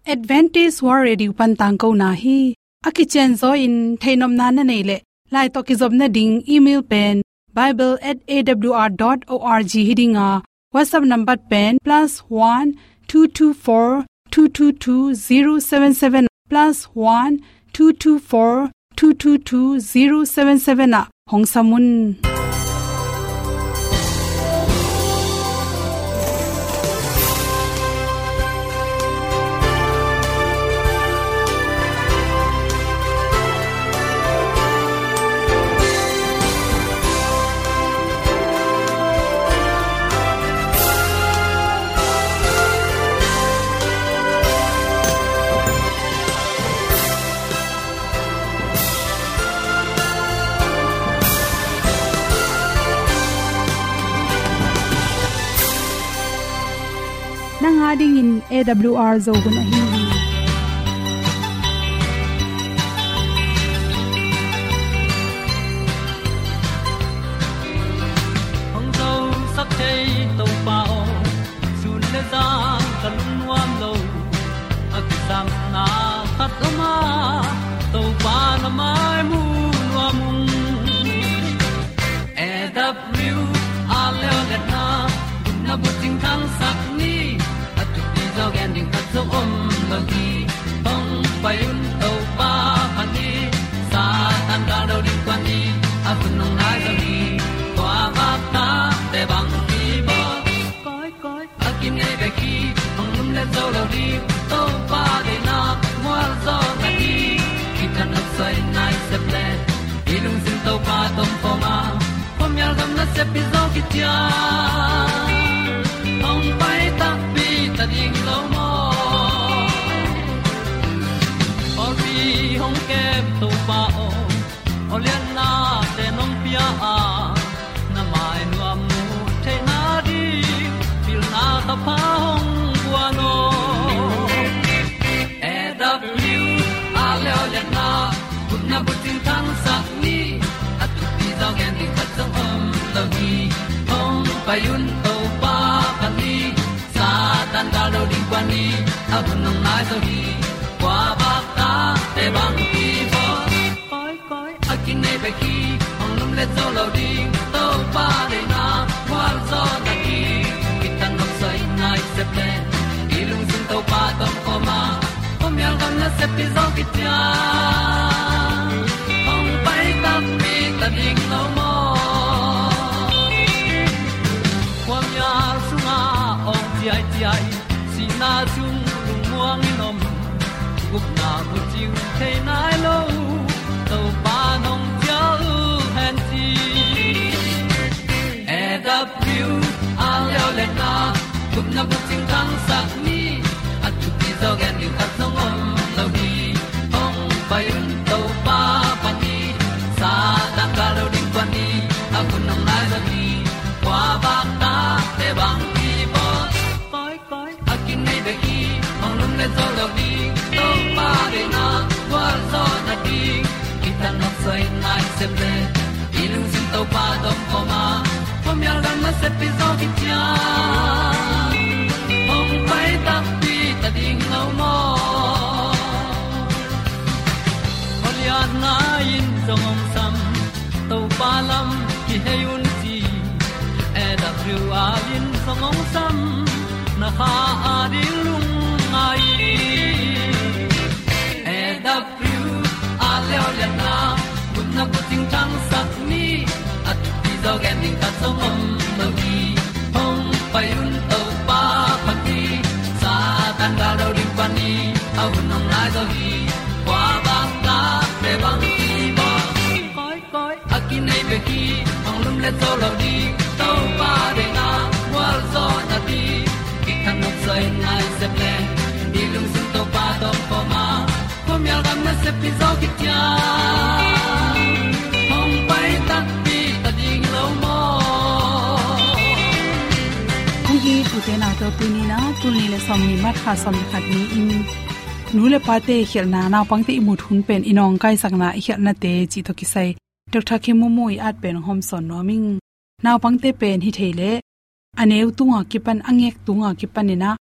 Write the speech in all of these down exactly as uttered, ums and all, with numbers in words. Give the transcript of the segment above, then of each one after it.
Adventist World Radio pan tangkona hi. A kicianzaw in theihnopna na neih leh, lai tawh kizopna ding email pen bible at A W R dot org hi ding a, WhatsApp number pen plus one two two four two two two zero seven seven, plus one two two four two two two zero seven seven ah hong sam un. Nang a dingin A W R Zo hun ahi hi. Hong zosak thei Topa aw, sun le zan ka lungnuam lo. A kisapna khat om a, Topa na mai mu nuam ung. A W R leo le na, na bucing thangsak ni, a thupi zaw gen ding khat zong om lo hi. Hong pai un Topa phat ni, Satan gal do ding kuan ni, a hun hong nai zaw hi. Kua vak ta te bang hi baw. Koi, koi, a kinei bek hi, hong lum le zo lo ding, Topa deihna mual zaw na hi. Kithat nopsai nai sep le, i lungsim Topa tawh om khawm a, khuamial gam nasep pi zaw kician. Hong pai takpi ta ding lo maw. Pawlpi hong kem Topa aw, aw lianna te nong pia a, na mai nuam mu theihna ding, pilna ka pha hong guan aw. A W R leo le na, gupna bucing thangsak ni, a thupi zaw gen ding khat zong om lo hi. Hong pai un Topa phat ni, Satan gal do ding kuan ni, a hun hong nai zaw hi. Kua vak ta te bang hi baw. Koi, koi, a kinei bek hi, hong lum le zo lo ding, Topa deihna mual zaw na hi. Kithat nopsai nai sep le, i lungsim Topa tawh om khawm a, khuamial gam nasep pi zaw kician. Hong pai takpi ta ding lo maw. Khuamial sungah awng ciaiciai, sihna sung lungmuang in om, gupna bucing thei nai lo, Topa nong cial hen ci. A W R leo le na, gupna bucing thangsak ni, a thupi zaw gen ding khat zong om lo hi. Hong pai un Topa phat ni, Satan gal do ding kuan ni, a hun hong nai zaw hi. Kua vak ta te bang hi baw. Koi, koi, a kinei bek hi, hong lum le zo lo ding, Topa deihna mual zaw na ding. Kithat nopsai nai sep le, i lungsim Topa tawh om khawm a, khuamial gam nasep pi zaw kician. Hong pai takpi ta ding lo maw. Aw lianna in zong hong sam, Topa lam kihei un ci. A W R in zong hong sam, na kha a ding lungngai. A W R leo le na, gupna bucing thangsak ni, a thupi zaw gen ding khat zong om lo hi. Hong pai un Topa phat ni, Satan gal do ding kuan ni, a hun hong nai zaw hi. Kua vak ta te bang hi baw. Koi, koi, a kinei bek hi, hong lum le zo lo ding, Topa deihna mual zaw na ding. Kithat nopsai nai sep le, i lungsim Topa tawh om khawm a, khuamial gam nasep pi zaw kician. Hong pai takpi ta ding lo maw. Kong it u te nau te, tuni-in ah, tul nih le sawmnih March kha sawm le khat ni-in, nu le pate i khialhna, naupangte i mut hun pen i nawngkaisakna i khialhnate cih tawh kisai Doctor Khin Maw Maw i at pen hong hawmsawn nuam ing. Naupangte pen hi thei leh, a neu tunga kipan, a ngek tunga kipan in ah,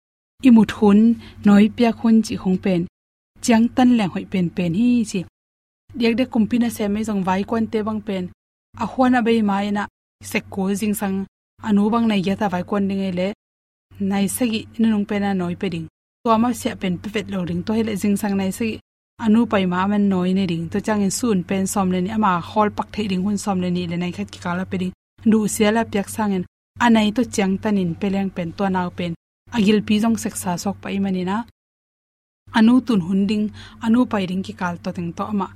i mut hun, nawi piak hun cih khong pen ciangtan leng hoih penpen hi ci. Diakdiak kumpi nasem ei zong vaikuante bang pen a huan a bei ma-in ah sek kul, zingsang a nu bang nai giat a vaikuan ding ei leh nai sagih nunung pen a nawi pia ding. Tua mah siah pen pia vet lo ding. Tua hi leh zingsang nai sagih a nu pai ma aman nawi ne ding. Tua ciangin sun pen sawm le nih, ama khawl pak theih ding hun sawm le nih le nai khat kikal a pia ding. Duhsia la piak sangin a nai tawh ciangtanin pia leng pen tua nau pen a gilpi zong seksa suak pah ahih manin ah a nu tun hun ding, a nu pai ding kikal tawh teng tawh amah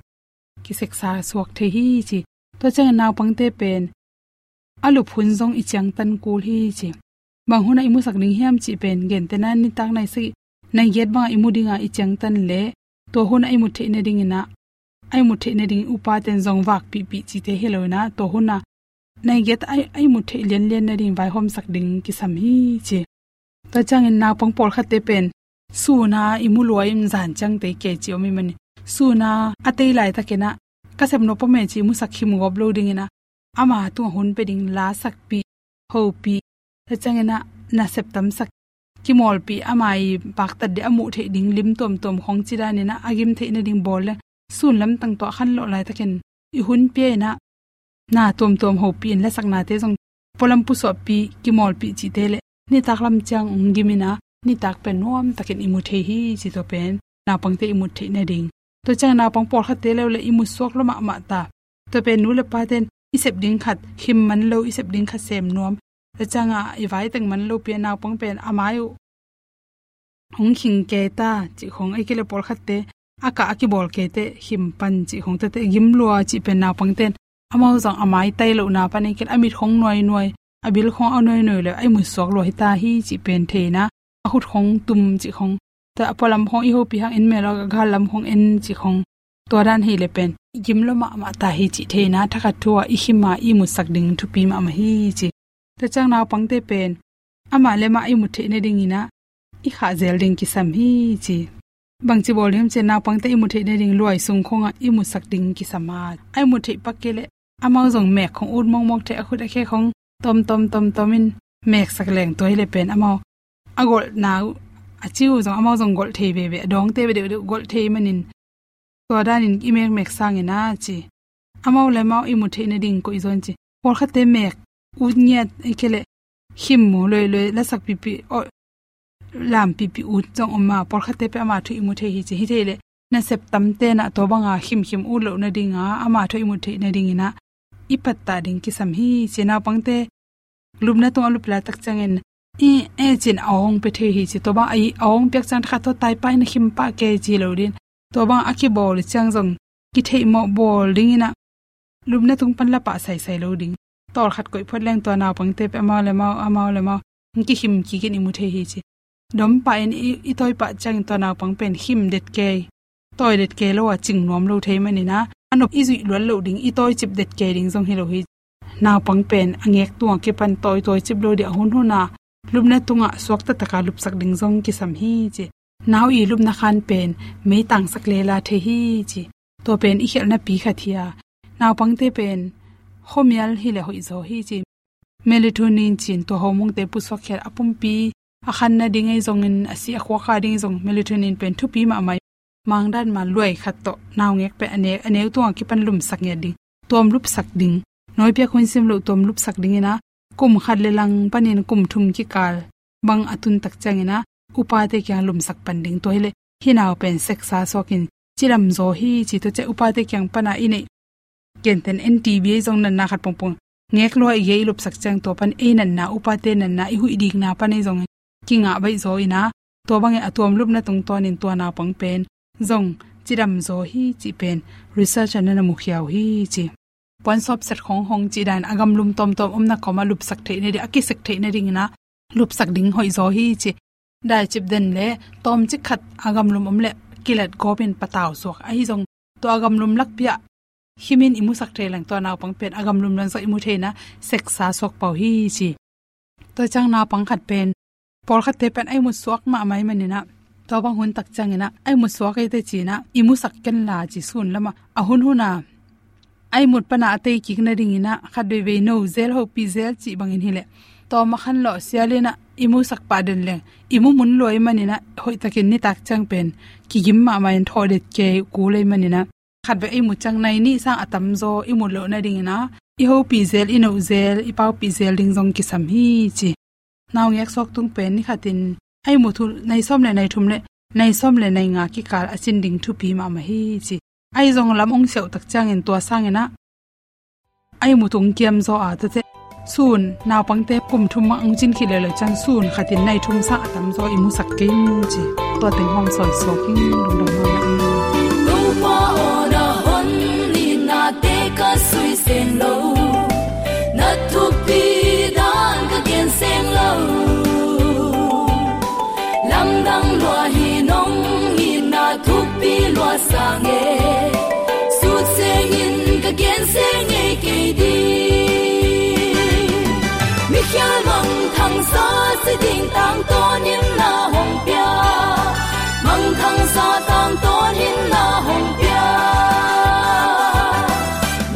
kiseksa suak thei hi ci. Tua ciangin naupangte pen a lup hun zong i ciangtan kul hi ci. Bang hunah i musak ding hiam cih pen gentehna nitak nai sagih, nai giat bangah i mu dinga i ciangtan leh tua hunah i mut theih nadingin ah, a i mut theih nading upaten zong vakpihpih cite hi lo-in ah, tua hunah nai giat a i, a i mut theih lianlian nading vaihawmsak ding kisam hi ci. Tua ciangin naupang pawlkhatte pen sun a i mu lua in zan ciang tei kei ci om ahih manin, sun a a tei laitakin ah ka sep nop om e ci i musak khim gawp lo dingin ah ama tungah hun pia ding, lasakpih, hopih, tua ciangin ah nasep tamsak, kimawlpih, ama i paktat ding a muh theih ding lim tuamtuam khong ci danin ah a gim theih nading bawl leng sun lamtang tawh a khanlawh laitakin i hun pia-in ah na tuamtuam hopih in lasaknate zong pualam pusuahpih, kimawlpih cihte leh nitak lam ciang hong gimin ah nitak pen nuamtakin i mu thei hi ci. Tua pen naupangte i mut theih nading. Tua ciang naupang pawlkhatte lo leh i mut suak lua mahmah ta. Tua pen nu le paten i sep ding khat khim man lo, i sep ding khat sem nuam. Tua ciangah i vai teng man lo pi-a naupang pen a mai uh hong khing kei ta cih khong, ahih kei leh pawlkhatte a kah a kibawl kei teh khim pan cih khong, tua teh gim lua cih pen naupangten amau zong a mai tai lohna pan ahih kei leh a mit khong nuainuai, a bil khong a nuainuai leh a i mut suak lua hi ta hi cih pen thei-in ah a khut khong tum cih khong, tua a pualam khong i hopih hang en mel a, gal lam khong en cih khong, tua dan hi leh pen i gim lua mahmah ta hi cih thei-in ah thakhat thu-ah i khim a i mutsak ding thupi mahmah hi ci. Tua ciang naupangte pen amah le amah i mut theih nadingin ah i khah zel ding kisam hi ci. Bangci bawl ding hiam cih leh naupangte i mut theih nading luai sung khongah i mutsak ding kisam a, a i mut theih pak kei leh amau zong mek khong ut mawkmawk thei, a khut a khe khong tawmtawm tawmtawm in meksak leng, tua hi leh pen amau a golhna uh, a ci uh zong amau zong golh thei veve, a dawngte beh deuhdeuh golh thei manin tua danin i mekmek sangin ah ci. Amau le amau i mut theih nading koih zaw in ci. Pawlkhatte mek ut ngiat, ahih kei leh khim mu luailuai, lasak pihpih, aw, lam pihpih ut zong om a, pawlkhatte pen ama thu i mu thei hi ci. Hi thei leh nasep tamten ah tua banga khimkhim ut loh nadinga ama thu i mut theih nadingin ah i pattah ding kisam hi ci. Naupangte lupna tungah a lup laitak ciangin i e cin a awng pia thei hi ci. Tua bang a awng piak ciang thakhat tawh tai pah in a khim pah kei ci lo ding. Tua bang a kibawl ciang zong kitheihmawh bawl dingin ah lupna tung pan la pah saisai lo ding. Tawlkhat koih phot leng tua naupangte pen amau le amau, amau le amau hong kikhim kik in i mu thei hi ci. Dom pah in i, i tawi pah ciangin tua naupang pen khim det kei, tawi det kei lo a cing nuam lo thei manin ah a nop i zuih luat loh ding, i tawicip det kei ding zong hi lo hi. Naupang pen a ngek tungah kipan tawitawi cip lo ding, a hunhun a lupna tungah suakta taka lupsak ding zong kisam hi ci. Nau i lupna khan pen meitangsak lela thei hi ci. Tua pen i khialhna pi khat hi a, naupangte pen khuamial hi leh hoih zaw hi ci. Melatonin ci-in tua hormone-te pusuak khial a pumpi, a khan nading ei zongin, a si a khuak a ding ei zong, melatonin pen thupi mahmah. Mangdan ma luai khat tawh naungek pen a ne-, a neu tungah kipan lumsak ngiat ding, tuam lupsak ding. Nawi piak hun sim loh tuam lupsak dingin ah kum khat le lang panin kum thum kikal bang a tun tak ciangin ah upate kiang lumsak pan ding. Tua hi leh hih nau pen seksa suakin cidam zaw hi ci. Tua ciang upate kiang pana i neih, gentehna N T B ei zong natna khat pongpong ngek lua i gei i lupsak ciang tua pan ei natna, upate natna, i huih dikna pan ei zong kingah baih zaw in ah, tua bangin a tuam lupna tungtawnin tua naupang pen zong cidam zaw hi cih pen research-ah na na mukhia uh hi ci. Puansawp set khong hong cih dan a gamlum tawmtawm omna kawmah lupsak theih nading, a kisek theih nadingin ah lupsak ding hoih zaw hi ci. Daicip den le tawmcik khat a gamlum om leh kilat gawpin patau suak. Ahi zong tua a gamlum lakpi-ah khimin i musak thei leng tua naupang pen a gamlum leng zong i mu thei-in ah seksa suak pah uh hi ci. Tua ciang naupang khat pen, pawlkhatte pen a i mut suak mahmah ahih manin ah, tua bang hun tak ciangin ah a i mut suak ei teh ci-in ah i musak ken la ci, sun lamah a hunhun a a i mut pana a tei kik nadingin ah khat veivei no zel, hopih zel cih bangin hi leh tawm a khanlawh sialin ah i musak pah den leng i mu mun lua ahih manin ah, hoihtakin nitak ciang pen kigim mahmah in thawh det kei kul ahih manin ah, khat bek i mu ciang nai nih sang a tamzaw i mu loh nadingin ah, i hopih zel, i noh zel, i paupih zel ding zong kisam hi ci. Naungek suak tung pen ni khatin a i mu thu nai sawm le nai thum le nai sawm le nai nga kikal a cin ding thupi mahmah hi ci. A i zong lam ong siauh tak ciangin tua sangin ah a i mu thu ong kiam zaw a, tua teh sun naupangte kum thum mah ong cin khit leuleu ciang sun khatin nai thum sang a tamzaw i musak kei ing ci. Tua teng hong sawi suak ing, lungdam mahmah ing. Topa aw, na hon nitnate ka sui seng lo, na thupi dan ka gen seng lo. Lamdang lua hi, nong itna thupi lua sang e, sut sengin ka gen seng ngei kei ding. Mikhial mangthangsa si ding tangtawnin na hong pia, mangthangsa tangtawnin na hong pia.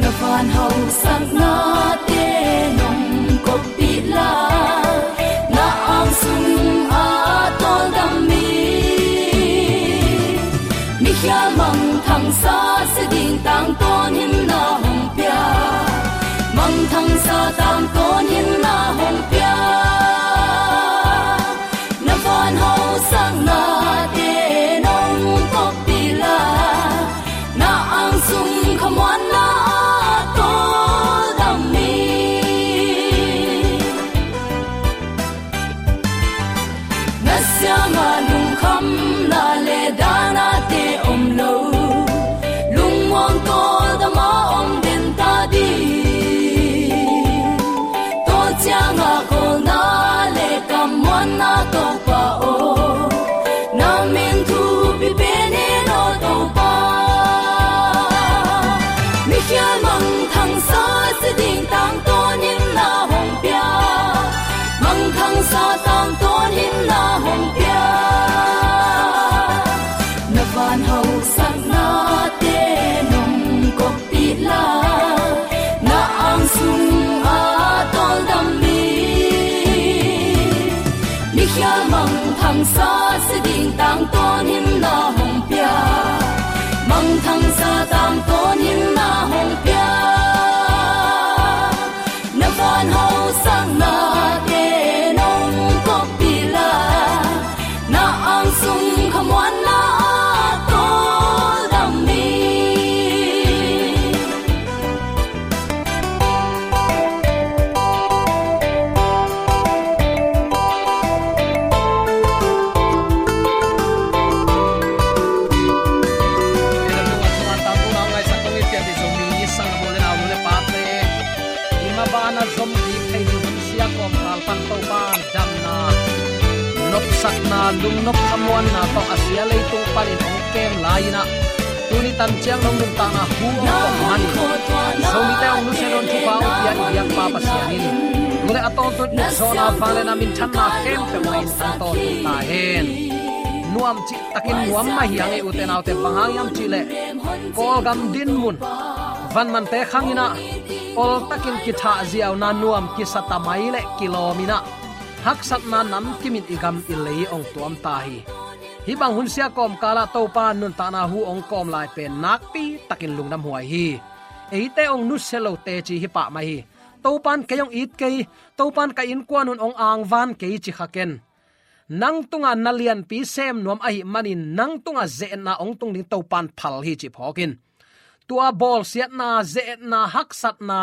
Na van hausaknate nong koppih la, na ang sung a tawldam mi. Mikhial mangthangsa si ding tangtawnin na hong pia, mangthangsa tangtawnin na hong pia. Na van hausaknate nong koppih la, na ang sung khamuanna a tawldam mi. Na siangah lungkhamna le danate om lo, lungmuang tawldam a om den ta ding. Tua ciangah kawlna le kammuanna Topa aw, na min thupi pen hen aw Topa. Mikhial mangthangsa si ding tangtawnin na hong pia, mangthangsa tangtawnin na hong pia. Na van hausaknate nong koppih la, na ang sung a tawldam mi. Mikhial mangthangsa si ding tangtawnin na hong pia, mangthangsa tangtawnin na hong pia. Na van hausaknate nong koppih la, na ang sung khamuanna a tawldam mi. I mabana zom ding thei ding hun sia kawmkal pan Topa damna, nopsakna, lungnop khamuanna tawh a sia leitung panin hong kem lai-in ah, tuni tan ciang nong nuntakna hu hong kawm manin, Zomite hong nusia nawn thupha hong pia i biakpa Pasian in, tu le a tawntung in zawhna, vangliatna, minthanna khempeuh in a tawntung ta hen. Nuam cihtakin nuam mah hi hang e, ute naute, bang hang hiam cih leh Kawlgam dinmun, vanmante khangin ah oltakin kithahziauna, nuam kisa ta mai le kilawm in ah, haksatna namkim in i gam i lei hong tuam ta hi. Hih bang hun sia kawmkal ah Topa nuntakna hu hong kawm lai pen nakpi takin lungdam huai hi. Eite hong nusia lo teci hi pah mai hi. Topa in kei hong it kei, Topa in ka innkuan un hong angvan kei ci kha ken. Nang tungah na lianpi sem nuam ahih manin nang tungah ze-etna hong tung ding Topa in phal hi cih phawk in. Tua bawlsiatna, ze-etna, haksatna,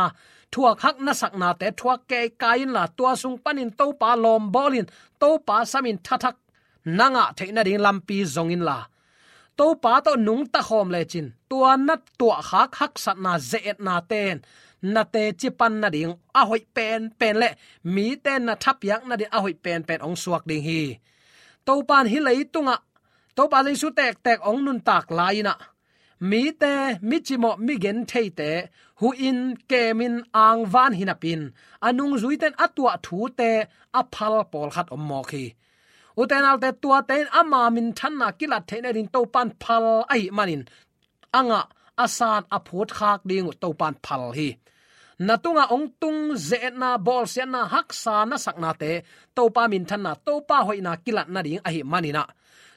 thuak hak nasaknate thuak kei kai inla, tua sung panin Topa lawmbawl in, Topa samin thathak na ngah theih nading lampi zong inla, Topa tawh nungta khawm lecin, tua na tuahkhak haksatna, ze-etnate in na teci pan nading a hoih penpen le mite na thapiak nading a hoih penpen hong suak ding hi. Topa in hih leitungah Topa Jesu tektek hong nuntak lai-in ah, mite, mi cimawh, mi gentheite huhin, kemin, angvan hi napi-in, a nungzuite in a tuah thute a phal pawlkhat om mawk hi. Ute naute, tuate in ama minthanna kilat theih nading Topa in phal ahih manin, a ngah, a san, a phutkhak ding uh Topa in phal hi. na tungah hong tung ze-etna, bawlsiatna, haksa na saknate Topa minthanna, Topa hoihna kilat nading ahih manin ah,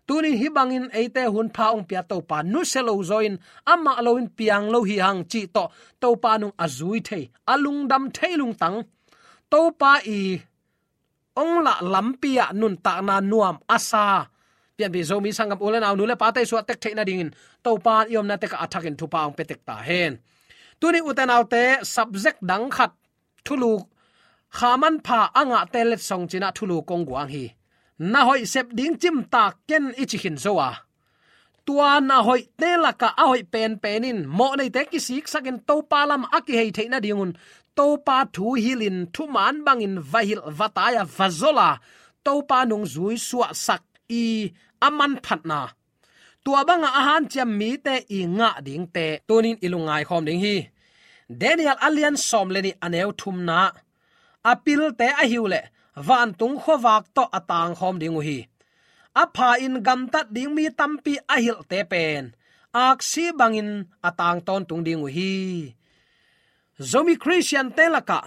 tunin hih bangin eite hunpha hong pia Topa nusia lo zaw in, amah loin piang lo hi hang cih tawh Topa nung a zui thei, a lungdam thei lungtang, Topa i hong lah lampi ah nuntakna nuam a sa Pianpih Zomi sanggam u le nau, nu le pate suah tek theih nadingin Topa in i omna tekah a thakin thupha hong pia tek ta hen. Tuni u te nau te, subject dang khat, thulu, kha manpha a ngahte letsong ci-in ah thulu kong guang hi. Na hoih sep ding cimtak ken i ci khin zo a, tua na hoihte lakah a hoih penpen in mawhneite kisiksakin Topa lamah a kihei theih nadingun Topa thu hilhin thuman bangin va hilh va tai a va zol a, Topa nung zui suahsak i a manphatna, tua bangah a hanciam mite i ngah dingte tunin i lungngai khawm ding hi. Daniel a lian sawm le nih, a neu thumna, a pilte ahi uh leh vantung khuavak tawh a tangkhawm ding uh hi. A pha-in gamtat ding mi tampi a hilhte pen aksi bangin a tang tawntung ding uh hi. Zomi Khristiante lakah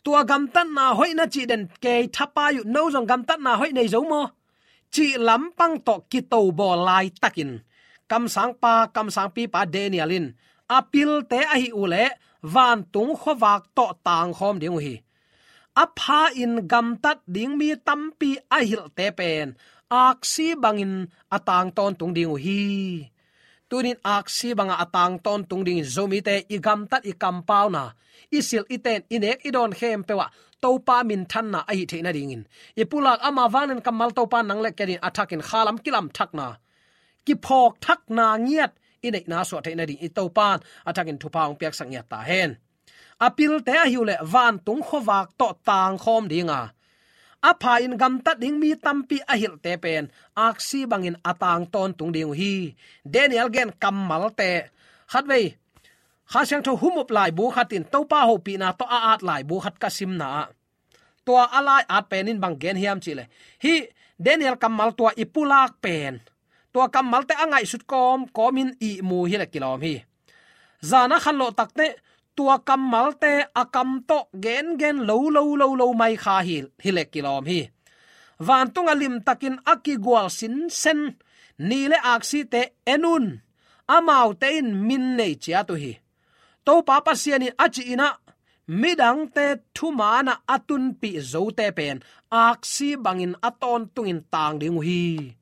tua gamtatna hoih na cih den kei thapai uh. No zong gamtatna hoih nei zo maw cih lampang tawh kitobawl laitakin kamsangpa, kamsangpipa Daniel in a pilte ahi uh leh vantung khuavak tawh tangkhawm ding uh hi. A pha-in gamtat ding mi tampi a hilhte pen aksi bangin a tang tawntung ding uh hi. Tunin aksi bangah a tang tawntung dingin Zomite i gamtat, i kampauna, i silh, i ten, i nek, i dawn khempeuh ah Topa minthanna ahi theih nadingin i pulak ama vanglian kammal Topa nang le ken in a thakin khalam kilam thakna, kiphawk thakna ngiat i neihna suah theih nading i Topa in a thakin thupha hong piaksak ngiat ta hen. A pilte ahi uh leh vantung khuavak tawh tangkhawm ding a, a pha-in gamtat ding mi tampi a hilhte pen aksi bangin a tang tawntung ding uh hi. Daniel gen kammalte, khatvei Kha Siangtho humup laibu khat in Topa hopihna tawh a at laibu khat ka simna ah, tua a lai at pen in bang gen hiam cih leh, hih Daniel kammal tua i pulak pen, tua kammalte a ngaihsut kawmkawm in ihmu hi leh kilawm hi. Zan a khanlawh takteh tua kammalte a kam tawh gengen lo lo lo lo mai kha hi, hi leh kilawm hi. Vantung a limtakin a kigual sinsen ni le aksite en un, amaute in min nei ciat uh hi. Topa Pasian in a cih in ah midangte thuman ah a tunpih zote pen aksi bangin a tawntungin tang ding uh hi.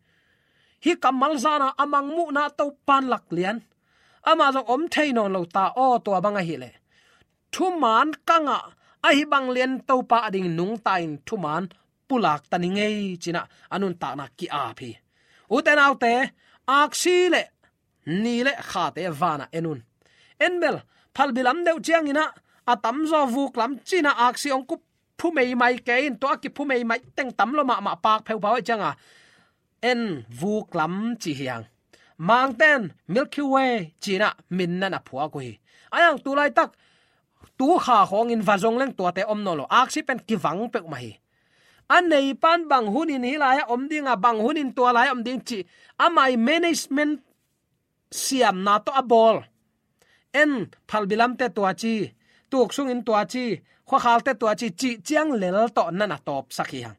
Hih kammal zan a a mangmuhna Topa in laklian, amah zong om thei nawn lo ta aw, tua bang ahih leh thuman ka ngah ahi bang lian Topa adingin nungta in thuman pulak ta ni ngei ci-in ah a nuntakna ki-ap hi. U te nau te, aksi le ni le khate van ah en un. En bel, phalbi lam deuh ciangin ah a tamzaw vuk lam ci-in ah aksi hong kiphu meimai kei in, tua a kiphu meimai teng tam lua mahmah, pak pheuphau ahih ciangin en, vuk lam ci hi hang. Mangte in Milky Way ci-in ah min na na phuak uh hi. Ahi hang tu laitak tu kha khawngin va zong leng tuate om nawn lo, aksi pen kivang peuhmah hi. A neipa in bang hunin hih lai ah om ding a, bang hunin tua lai ah om ding cih, ama i management siamna tawh a bawl. En, phalbi lamte tua ci, tuk sungin tua ci, khuakhalte tua ci, cih ciang lel tawh na na tawpsak hi hang.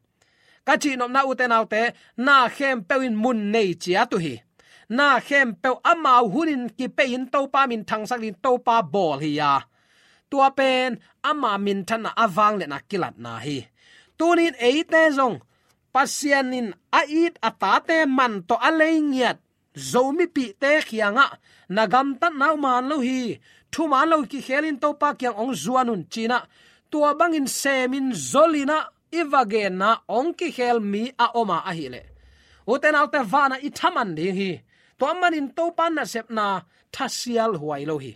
Ka cihnopna u te nau te, na khempeuh in mun nei ciat uh hi. Na khempeuh amau hunin kipei in Topa minthangsak dingin Topa bawl hi a, tua pen ama minthanna, a vangliatna kilatna hi. Tunin eite zong Pasian in a it a tate man tawh a lei ngiat Zomipihte kiangah, na gamtatna uh man lo hi, thuman lo kikhel in Topa kiang hong zuan un ci-in ah, tua bangin semin zolin ah i va genna hong kikhel mi a om a ahih leh, u te nau te, van ah i thaman ding hi. Tua manin Topa nasepna thasial huai lo hi.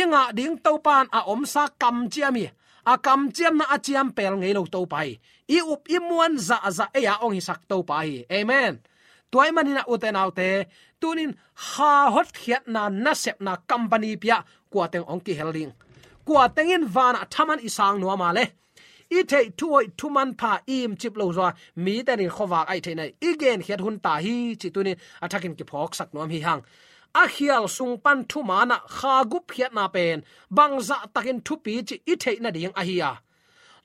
I ngah ding Topa in a omsa kamciam hi. A kamciamna a ciampel ngei lo Topa hi. I up i muan zahzah ei a hong hisak Topa hi. Amen. Tua ahih manin ah u te nau te, tunin kha hotkhiatna nasepna company pi ah kua teng hong kihel ding? Kua teng in van ah thaman i sang nuam a leh, i theih thuhoih thumanpha i imcip lo zaw a, mite in khuavak a hih theihna i genkhiat hun ta hi cih tunin a thakin kiphawksak nuam hi hang. a khial sung pan thuman ah kha gupkhiatna pen bangzah takin thupi cih i theih nading ahi a,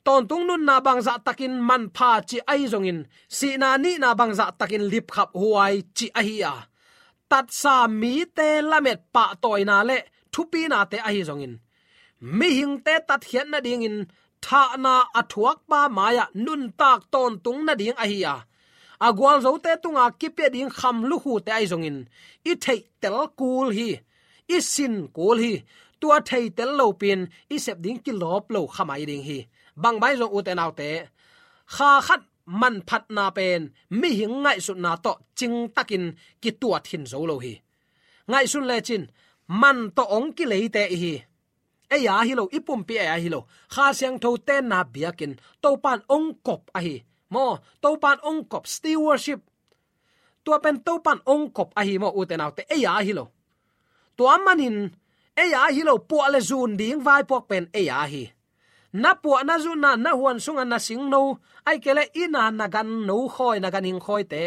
tawntung nunna bangzah takin manpha cih ahi zongin, sihna nihna bangzah takin lipkhaphuai cih ahi a, tatsa mite lamet pahtawina le thupinate ahi zongin, mihingte tatkhiat nadingin thahna a thuakpa mai-ah nuntak tawntung nading ahi a, a gualzote tunga kipia ding kham lukhute ahi zongin i theihtel kul hi, i sin kul hi. Tua theitel lopi-in i sep ding kilawp lo kha mai ding hi. Bangmah zong, ute naute, kha khat manphatna pen mihing ngaihsutna tawh cingtakin kituat hin zo lo hi. Ngaihsun lecin, man tawh hong kileite i hi. Ei a hi lo, i pumpi ei a hi lo. Kha Siangtho tenna biakinn Topan hong kop ahi. Maw, Topan hong kop, stewardship. Tua pen Topan hong kop ahi maw, ute naute, ei a hi lo. Tua manin ei a hi lo, puah le zun ding vaipuak pen ei a hi. Na puah na zunna, na huan sunga na singno, ahih kei leh i na na ganno khawi, na ganhing khawite,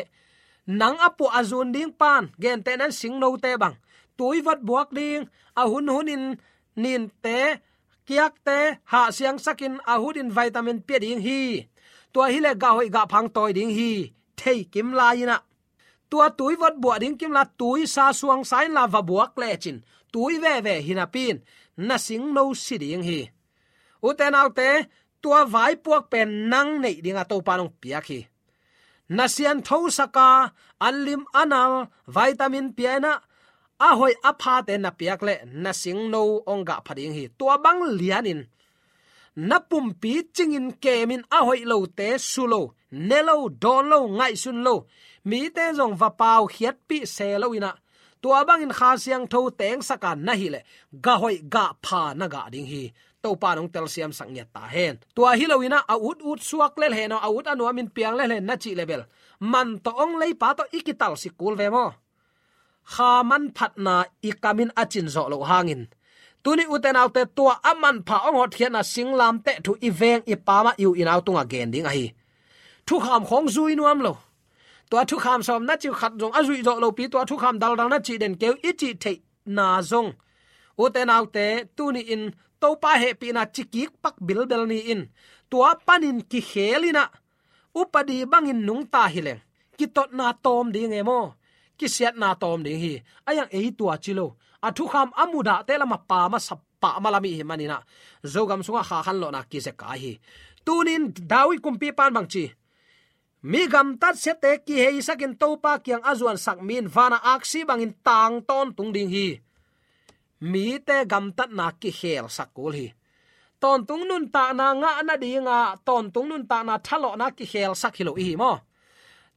nang a puah a zun ding pan, gentehna-in singnote bang, tui vot buak ding, a hun hunin ninte, kiakte hahsiangsakin a hunin vitamin pia ding hi. Tua hileh gah hoih gah pha hong tawi ding hi. Thei kim lai-in ah, tua tui vot buah ding kim lai, tui sa suang sa inla va buak lecin, tui veve hi napi-in na singno si ding hi. Ute naute, tua vaipuak pen nang neih dinga Topan hong piak hi. Na sianthosaka, an lim a nal, vitamin pia-in ah, a hoih a phate na piak leh na singno hong gah pha ding hi. Tua bang lianin na pumpi cingin kemin, a hoih lote su lo, ne lo, dawn lo, ngaihsun lo, mite zong va paukhiatpih se lo-in ah, tua bangin Kha Siangtho tengsak a na hih leh gah hoih gah pha na gah ding hi. Topan hong telsiamsak ngiat ta hen. Tua hi lo-in ah, a ut ut suak lel hen aw, a ut a nuamin piang lel hen na cih leh bel, man tawh hong leipa tawh i kitalsik kul ve maw? Kha manphatna i kamin a cin zawh loh hangin, tuni, ute naute, tua a manpha hong hotkhiatna singlamteh thu i veng i pamah i u i nau tungah gen ding ahi. Thukham khawng zui nuam lo. Tua thukham sawm na cih uh khat zong a zuih zawh lopi, tua thukham daldal na cih den kei uh i cih theihna zong, ute naute, tuni-in Topa hehpihna cikik pak bilbel ni-in, tua panin kikhel-in ah, upadi bangin nungta hi leng, kitotna tawm ding e maw, kisiatna tawm ding hi. A iang ei tua ci lo, a thukham a mudahte lamah pamah sap, pamah lam i hih manin ah, Zogam sungah kha khanlawhna kizek a hi. Tunin David kumpipan bang ci? Mi gamtat siate kiheisakin Topa kiang a zuansak mi in vana aksi bangin tang tawntung ding hi. Mite gamtatna kikhelsak kul hi. Tawntung nuntakna ngah nadinga, tawntung nuntakna thalawhna kikhelsak hi lo i hi maw?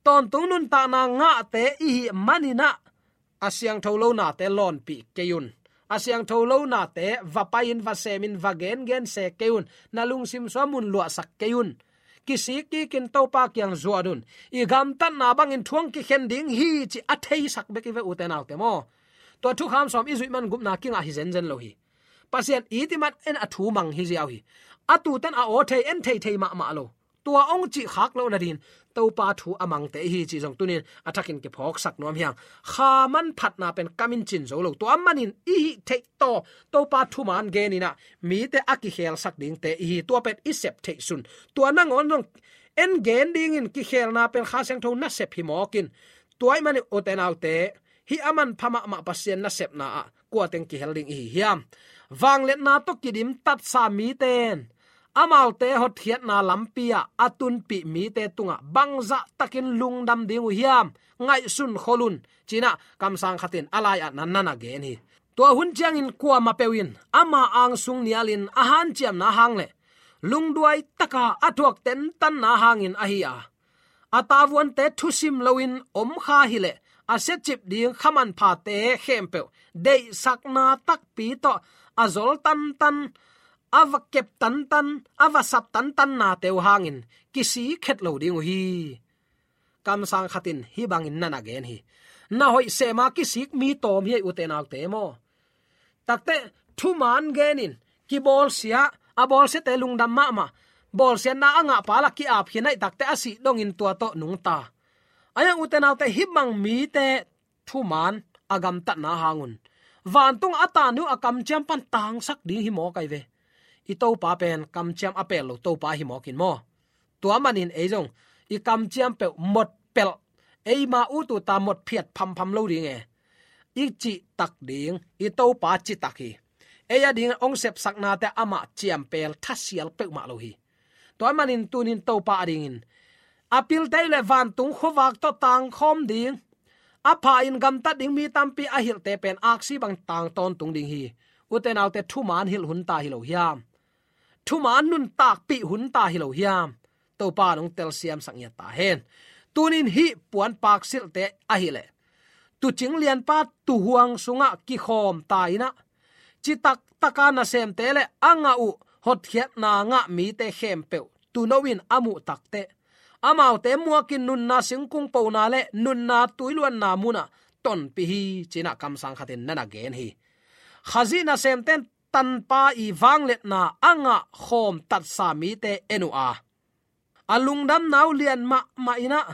Tawntung nuntakna ngahte i hih manin ah, a siangtho lo nate lawnpih kei un. A siangtho lo nate va pai-in, va semin, va gengen se kei un. Na lungsim sungah mun luahsak kei un. Kisik kikin Topa kiang zuan un. I gamtatna bangin thu hong kikhen ding hi cih a theisak bek i ve, ute naute maw? Tua thukham sawm i zuih man gupna kingah hi zenzen lo hi. Pasian it i man en a thu mang hi ziau hi. A tutan a aw thei, en thei thei mahmah lo. Tua hong cih khak loh nadin Topa thu a mangte i hi cih zong tunin a thakin kiphawksak nuam hi hang. Kha manphatna pen kamin cin zo lo. Tua manin i hih theih tawh Topa thuman genin ah, mite a kikhelsak dingte i hi. Tua pen i sep theih sun. Tua nangawn zong en gen dingin kikhelna pen Kha Siangtho nasep hi mawkin. Tua ahih manin, ute naute, hih a manpha mahmah Pasian nasepna ah kua teng kihel ding i hi hiam? Vangliatna tawh kidim tatsa mite in amaute hotkhiatna lampi-ah a tunpih mite tungah bangzah takin lungdam ding uh hiam? Ngaihsun khol un, ci-in ah kamsang khat in a lai-ah na na gen hi. Tua hun ciangin kuamah peuh in ama angsung nialin a hanciamna hang le lungduai taka a thuak tentanna hangin ahi a, a tavuante thusim loin om kha hileh a siacip ding kha manphate khempeuh deihsakna takpi tawh a zol tantan, a va kep tantan, a va sap tantannate uh hangin kisik khet lo ding uh hi. Kamsang khat in hih bangin na na gen hi. Na hoih sema kisik mi tawm hi ei, ute naute maw? Takte thuman genin kibawlsia, a bawlsiate lungdam mahmah, bawlsiatna a ngahpa lah ki-ap khin ahih takte a sih dongin tua tawh nungta. A iang, ute naute, hih bang mite thuman a gamtatna hangun vantung a tanu a kamciam pan tangsak ding hi mawk ai ve. I Topa pen kamciam a pel lo Topa hi mawk in maw? Tua manin ei zong i kamciam peuh mot pelh, eima ut uta mot phiat phampham lo ding e. I citak ding i Topa citak hi. Ei a ding ong sepsaknate amah ciampel thasial peuhmah lo hi. Tua manin tunin Topa a dingin a pilte uh le vantung khuavak tawh tangkhawm ding, a pha in gamtat ding mi tampi a hilhte pen aksi bang tang tawntung ding hi. Ute naute, thuman hilh hun ta hi lo hiam? Thuman nuntakpih hun ta hi lo hiam? Topa nong telsiamsak ngiat ta hen. Tunin hih puan paksilhte ahileh tuucing lianpa tuuhuang sungah kikhawm ta inah, citak taka nasemte le a ngah uh hotkhiatna ngah mite khempeuh tuuno in a muh takteh, amaute muakin nunna singkung pona le nunna tuiluanna munah tonpih hi, cinah kamsang khatin na na gen hi. Khazih nasemte in tanpa i vangliatna a ngah khawm tatsa mite en uh a, a lungdamna uh lian mahmah inah,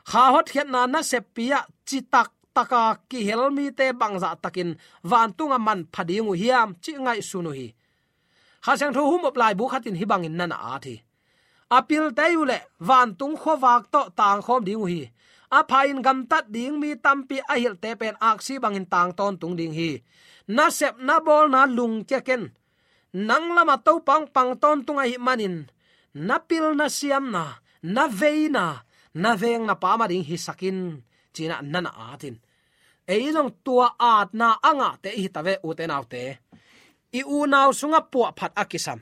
kha hotkhiatna naseppi ah citak taka kihel mite bangzah takin vantungah manpha ding uh hiam, cih ngaihsun uh hi. Kha Siangtho humop laibu khatin hih bangin na na at hi. A pilte uh le vantung khuavak tawh tangkhawm ding uh hi. A pha in gamtat ding mi tampi a hilhte pen aksi bangin tang tawntung ding hi. Nasepna bawlna lungkia ken. Nang lamah Topa hong pang tawntung ahih manin, na pilna siamna, na veina, na vengna pa mah ding hisak in, cinah na na at in. Ei zong tua atna a ngahte i hi ta ve, ute naute. I unau sungah puahphat a kisam,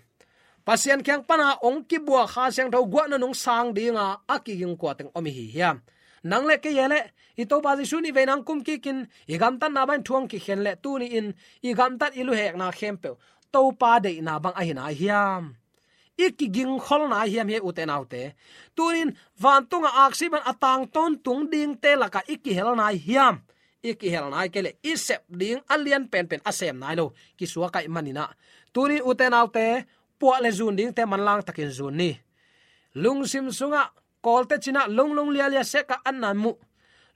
Pasian kiang pana ong kibuak Kha Siangtho guahna nung sang dinga a kiging kua teng om i hi hiam? Nang le kei e le i Topa Jesu nih vei nang kum kikin i gamtatna bangin thu hong kikhen le tuni-in i gamtat i luhekna khempeuh Topa deihna bang ahi nai hiam? I kigingkhol nai hiam hi, ute naute? Tunin vantungah aksi bang a tang tawntung dingte lakah i kihel nai hiam? I kihel nai kei le i sep ding a lian penpen a sem nai lo kisuak ahih maninah, tunin ute naute, puah le zun dingte manlang takin zun ni. Lungsim sungah Kawlte cinah longlong lialia seka an nan muh,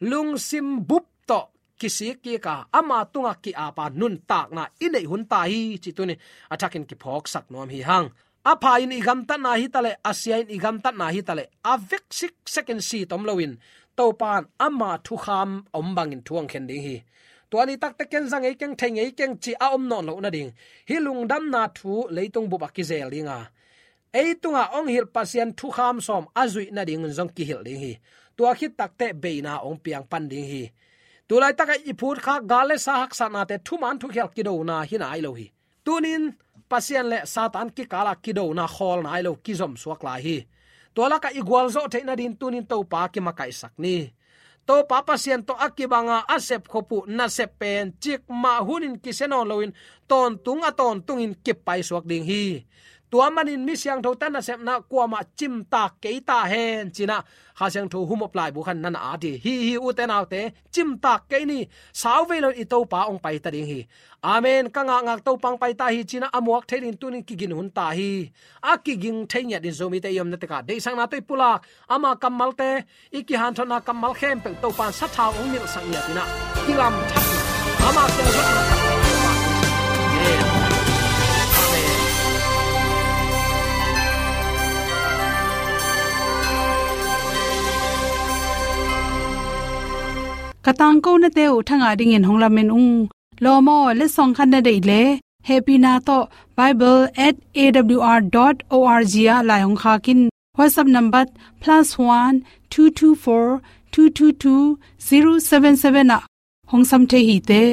lungsim bup tawh kisik kika ama tungah ki-apa nuntakna i neih hun ta hi, cih tunin a thakin kiphawksak nuam hi hang. A pha in i gamtatna hi taleh, a sia in i gamtatna hi taleh, a vek siksekin si tom loin Topa in ama thukham om bangin thu hong khen ding hi. Tua ni takte ken za ngei keng, thei ngei keng cih a om nawn loh nading, hih lungdamna thu leitung bup a kizel dinga, ei tungah hong hilh Pasian thukham sawm a zuih nading zong kihilh ding hi. Tua khit takteh beina hong piang pan ding hi. Tulaitakah i phutkhak gal le sa haksatnate thuman thukhial kidona hi nai lo hi. Tunin Pasian le Satan kikalah kidona khawl nai lo, kizom suak lai hi. Tua lakah i gualzawh theih nadin tunin Topa kimakaihsak ni. Topa Pasian tawh a kibanga a sepkhop uh nasep pen cikmah hunin kisia nawn loin tawntung a tawntungin kipaisuak ding hi. Tua manin mi siangthote nasepna kuamah cimtak kei ta hen, cinah Kha Siangtho humop laibu khan na na at hi. Hi hi, ute naute, cimtak kei ni. Sauvei loin i Topa hong paita ding hi. Amen. Ka ngakngak Topa hong paita hi, cinah a muak thei dingin tunin kigin hun ta hi. A kiging thei ngiat in Zomite i omna tekah deihsakna tawh i pulak, ama kammalte, i kihanthawnna kammal khempeuh Topa in sathau hong nilhsak ngiat inah, kilamthak, ama kiang zotna. Amen. Ka tangkonate uh thangah dingin hong lamen ung. Lawm aw, letsong khat na deih leh hehpihna tawh bible at A W R dot O R G ah lai hong khak in. WhatsApp number plus one two two four two two two zero seven seven ah hong sam thei hi te.